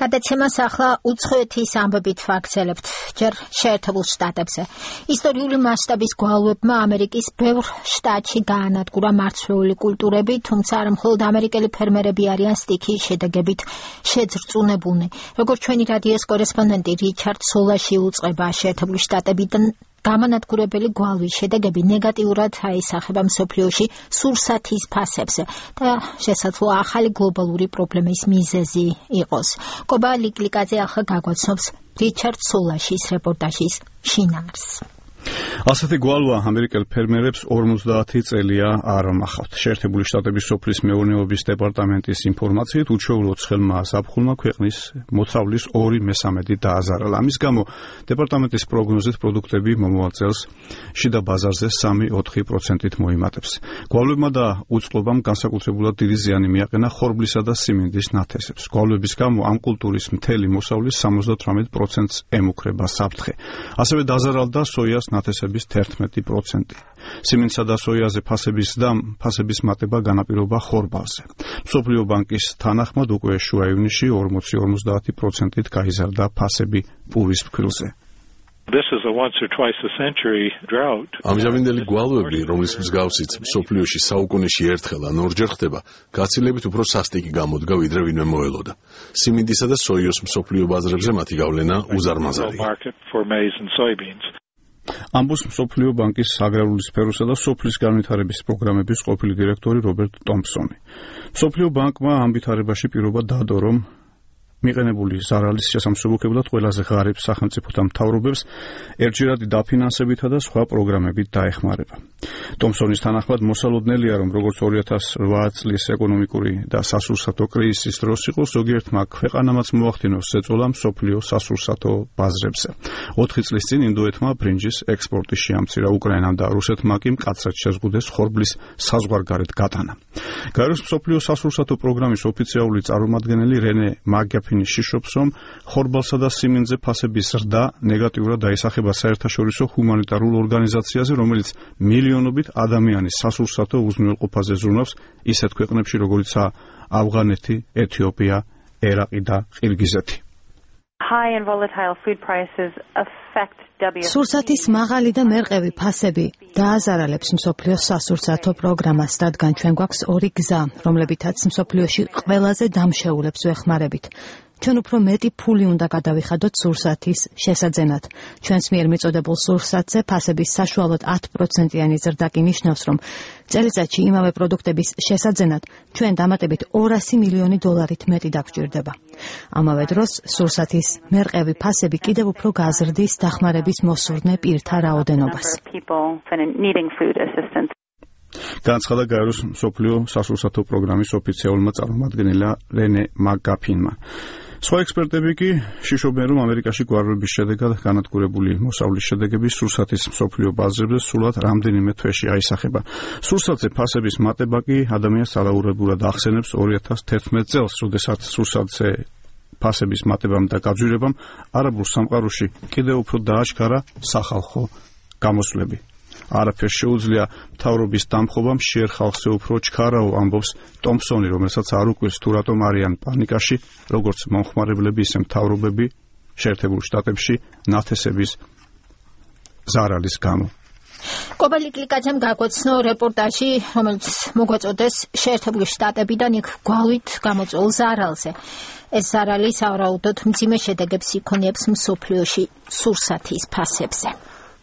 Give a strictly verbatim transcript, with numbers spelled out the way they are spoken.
გადაცემას ახლა უცხოეთის ამბებით ვაგრძელებთ ჯერ შეერთებულ შტატებზე. ისტორიული მასშტაბის გვალვებმა ამერიკის ბევრ შტატში გაანადგურა მარცვლეული კულტურები, თუმცა არა მხოლოდ ამერიკელი ფერმერები არიან სტიქიის შედეგებით შეძრწუნებულნი. როგორც ჩვენი რადიოს კორესპონდენტი რიჩარდ სოლაში უწყება, შეერთებული შტატებიდან გამანადგურებელი გვალვის შედეგები ნეგატიურად აისახება მსოფლიოში სურსათის ფასებზე და შესაძლოა ახალი გლობალური პრობლემის მიზეზი იყოს. კობა ლიკლიკაძე ახლა გაგვაცნობს რიჩარდ სოლაშის რეპორტაჟის შინაარს. ასეთი გვალვა ამერიკელ ფერმერებს ორმოცდაათი წელია არ მახავთ. შეერთებული შტატების სოფლის მეურნეობის დეპარტამენტის ინფორმაციით უჩვეულო ცხელმა ზაფხულმა ქვეყნის მოწავლის ორი მესამედი დააზარალა. ამის გამო დეპარტამენტის პროგნოზით პროდუქტები მომავალ წელს შიდა ბაზარზე სამი ოთხი პროცენტით მოიმატებს. გვალვებმა და უწყლობამ განსაკუთრებულად დიდი ზიანი მიაყენა ხორბლისა და სიმინდის ნათესებს. გვალვების გამო ამ კულტურის მთელი მოსავლის სამოცდათვრამეტ პროცენტს ემუქრება საფრთხე. ასევე დაზარალდა სოიას ნათესების თერთმეტი პროცენტი. სიმინდსა და სოიაზე ფასების ზრდამ ფასების მატება განაპირობა ხორბალზე. მსოფლიო ბანკის თანახმად უკვე შუა ივნისში ორმოცი ორმოცდაათი პროცენტით გაიზარდა ფასები პურის ფქვილზე. ამჟამინდელი გვალვები, რომლის მსგავსიც მსოფლიოში საუკუნეში ერთხელ ან ორჯერ ხდება, გაცილებით უფრო სასტიკი გამოდგა ვიდრე ვინმე მოელოდა. სიმინდისა და სოიოს მსოფლიო ბაზრებზე მათი გავლენა უზარმაზარია. ამბობს მსოფლიო ბანკის აგრარული სფეროსა და სოფლის განვითარების პროგრამების ყოფილი დირექტორი რობერტ ტომპსონი. მსოფლიო ბანკმა ამ ვითარებაში პირობა დადო, რომ მიყენებული ზარალის შესამსუბუქებლად ყველაზე ღარიბ სახელმწიფოთა მთავრობებს ერთჯერადი დაფინანსებითა და სხვა პროგრამებით დაეხმარება. ტომპსონის თანახმად მოსალოდნელია, რომ როგორც ორი ათას ოთხ წლის ეკონომიკური და სასურსათო კრიზისის დროს იყო, ზოგიერთმა ქვეყანამაც მოახდინოს ზეწოლა მსოფლიო სასურსათო ბაზრებზე. ოთხი წლის წინ ინდოეთმა ბრინჯის ექსპორტი შეამცირა, უკრაინამ და რუსეთმა კი მკაცრად შეზღუდეს ხორბლის საზღვარგარეთ გატანა. გაეროს მსოფლიო სასურსათო პროგრამის ოფიციალური წარმომადგენელი რენე მაგაფინი შიშობს, რომ ხორბალსა და სიმინდზე ფასების ზრდა ნეგატიურად დაისახება საერთაშორისო ჰუმანიტარულ ორგანიზაციაზე, რომელიც მილიონობით ადამიანის სასურსათო უზრუნველყოფაზე ზრუნავს ისეთ ქვეყნებში, როგორიცაა ავღანეთი, ეთიოპია, ერაყი და ყირგიზეთი. სურსათის მაღალი და მერყევი ფასები დააზარალებს მსოფლიოს სასურსათო პროგრამას, რადგან ჩვენ გვაქვს ორი გზა, რომლებითაც მსოფლიოში ყველაზე დამშეულებს ვეხმარებით. ჩვენ უფრო მეტი ფული უნდა გადავიხადოთ სურსათის შესაძენად. ჩვენს მიერ მიწოდებულ სურსათზე ფასების საშუალოდ ათი პროცენტიანი ზრდა კი ნიშნავს, რომ წელიწადში იმავე პროდუქტების შესაძენად ჩვენ დამატებით ორასი მილიონი დოლარით მეტი დაგვჭირდება. ამავე დროს სურსათის მერყევი ფასები კიდევ უფრო გაზრდის დახმარების მოსურნე პირთა რაოდენობას. განაცხადა გაეროს მსოფლიო სასურსათო პროგრამის ოფიციალურმა წარმომადგენელმა რენე მაგაფინმა. სხვა ექსპერტები კი შიშობენ, რომ ამერიკაში გვარების შედეგად განადგურებული მოსავლის შედეგები სურსათის მსოფლიო ბაზრებზე სულად რამდენიმე თვეში აისახება. სურსათზე ფასების მატება კი ადამიანს ალაურებურად ახსენებს ორი ათას თერთმეტ წელს, როდესაც სურსათზე ფასების მატებამ და გაძვირებამ არაბულ სამყაროში კიდევ უფრო დააჩქარა სახალხო გამოსვლები. არაფერს შეუძლია მთავრობის დამხობამ შეერ ხალხზე უფრო ჩქარაო, ამბობს ტომპსონი, რომელსაც არ უკვირს თუ რატომ არიან პანიკაში, როგორც მომხმარებლები, ისე მთავრობები შეერთებულ შტატებში ნათესების ზარალის გამო. კობა ლიკლიკაძემ გაგვაცნო რეპორტაჟი, რომელიც მოგვაწოდეს შეერთებული შტატებიდან იქ გვალვით გამოწვეულ ზარალზე. ეს ზარალი სავარაუდოდ მძიმე შედეგებს იქონიებს მსოფლიოში სურსათის ფასებზე.